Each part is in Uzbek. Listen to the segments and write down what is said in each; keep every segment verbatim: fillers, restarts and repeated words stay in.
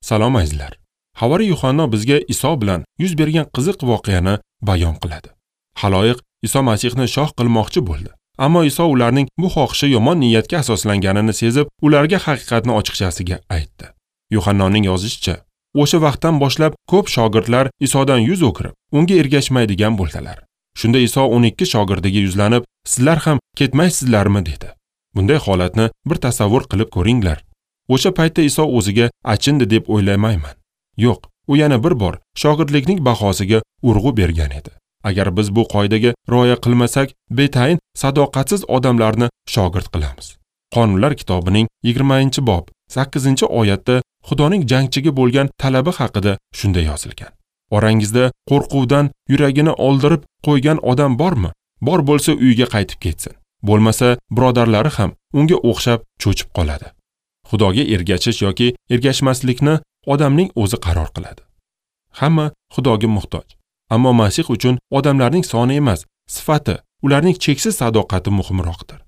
Salom azizlar. Havariy Yuhanno bizga Iso bilan yuz bergan qiziq voqeani bayon qiladi. Xaloyiq Iso Masihni shoh qilmoqchi bo'ldi. Ammo Iso ularning bu xohishi yomon niyatga asoslanganini sezib, ularga haqiqatni ochiqchasiga aytdi. Yuhannoning yozishicha, o'sha vaqtdan boshlab ko'p shogirdlar Isodan yuz o'girib, unga ergashmaydigan bo'ldilar. Shunda Iso o'n ikki shogirdiga yuzlanib, "Sizlar ham ketmaysizlarmi?" dedi. Bunday holatni bir tasavvur qilib ko'ringlar. O'sha paytda Iso o'ziga achindi deb o'ylamayman. Yo'q, u yana bir bor shogirdlikning bahosiga urg'u bergan edi. Agar biz bu qoidaga rioya qilmasak, betayin sadoqatsiz odamlarni shogird qilamiz. Qonunlar kitobining yigirmanchi bob sakkizinchi oyatda Xudoning jangchiga bo'lgan talabi haqida shunday yozilgan. Orangizda qo'rquvdan yuragini oldirib qo'ygan odam bormi? Bor bo'lsa uyiga qaytib ketsin. Bo'lmasa birodarlari ham unga o'xshab cho'chib qoladi. Xudoga ergashish yoki ergashmaslikni odamning o'zi qaror qiladi. Hamma Xudoga muhtoj. Ammo Masih uchun odamlarning soni emas, sifati, ularning cheksiz sadoqati muhimroqdir.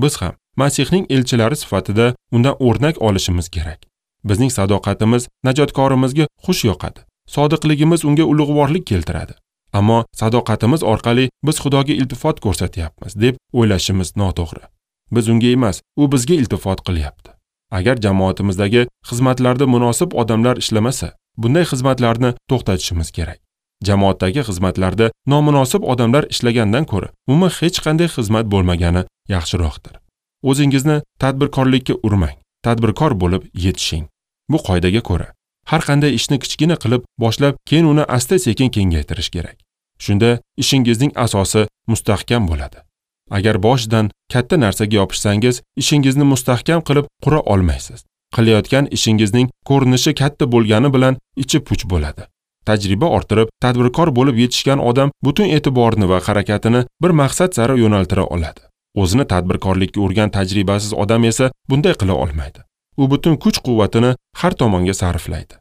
Biz ham Masihning elchilari sifatida undan o'rnak olishimiz kerak. Bizning sadoqatimiz najotkorimizga xush yoqadi. Sodiqligimiz unga ulug'vorlik keltiradi. Ammo sadoqatimiz orqali biz Xudoga iltifot ko'rsatyapmiz deb o'ylashimiz noto'g'ri. Biz unga emas, u bizga iltifot qilyapti. Agar jamoatimizdagi xizmatlarda munosib odamlar ishlamasa, bunday xizmatlarni to'xtatishimiz kerak. Jamoatdagi xizmatlarda nomunosib odamlar ishlagandan ko'ra, umuman hech qanday xizmat bo'lmagani yaxshiroqdir. O'zingizni tadbirkorlikka urmang, tadbirkor bo'lib yetishing. Bu qoidaga ko'ra, har qanday ishni kichkina qilib boshlab, keyin uni asta-sekin kengaytirish kerak. Shunda ishingizning asosi mustahkam bo'ladi. Agar boshidan katta narsaga yopishsangiz, ishingizni mustahkam qilib qura olmaysiz. Qilayotgan ishingizning ko'rinishi katta bo'lgani bilan ichi puch bo'ladi. Tajriba orttirib, tadbirkor bo'lib yetishgan odam butun e'tiborini va harakatini bir maqsad sari yo'naltira oladi. O'zini tadbirkorlikka urgan tajribasiz odam esa bunday qila olmaydi. U butun kuch-quvvatini har tomonga sarflaydi.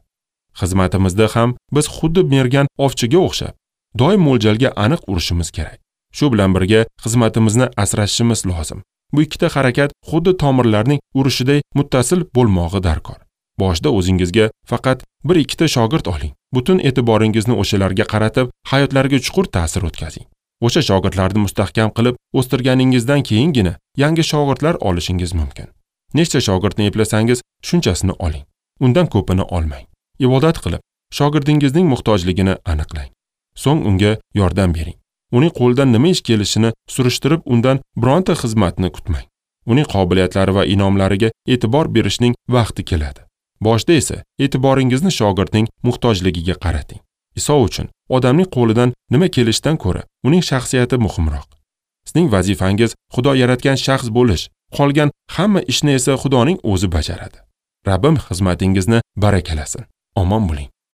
Xizmatimizda ham biz xuddi mergan ovchiga o'xshab, doim mo'ljalga aniq urishimiz kerak. Shu bilan birga xizmatimizni asrashimiz lozim. Bu ikkita harakat xuddi tomirlarning urishiday muttasil bo'lmog'i darkor. Boshda o'zingizga faqat bir ikkita shogird oling. Butun e'tiboringizni o'shalarga qaratib, hayotlariga chuqur ta'sir o'tkazing. O'sha shogirdlarni mustahkam qilib o'stirganingizdan keyingina yangi shogirdlar olishingiz mumkin. Nechta shogirdni eplasangiz, shunchasini oling. Undan ko'pini olmang. Ibodat qilib, shogirdingizning muhtojligini aniqlang. So'ng unga yordam bering. Uning qo'lidan nima ish kelishini surishtirib, undan bironta xizmatni kutmang. Uning qobiliyatlari va inomlariga e'tibor berishning vaqti keladi. Boshda esa e'tiboringizni shogirdning muhtojligiga qarating. Iso uchun odamning qo'lidan nima kelishidan ko'ra uning shaxsiyati muhimroq. Sizning vazifangiz Xudo yaratgan shaxs bo'lish, qolgan hamma ishni esa Xudoning o'zi bajaradi. Rabbim xizmatingizni barakalasin. Omon bo'ling.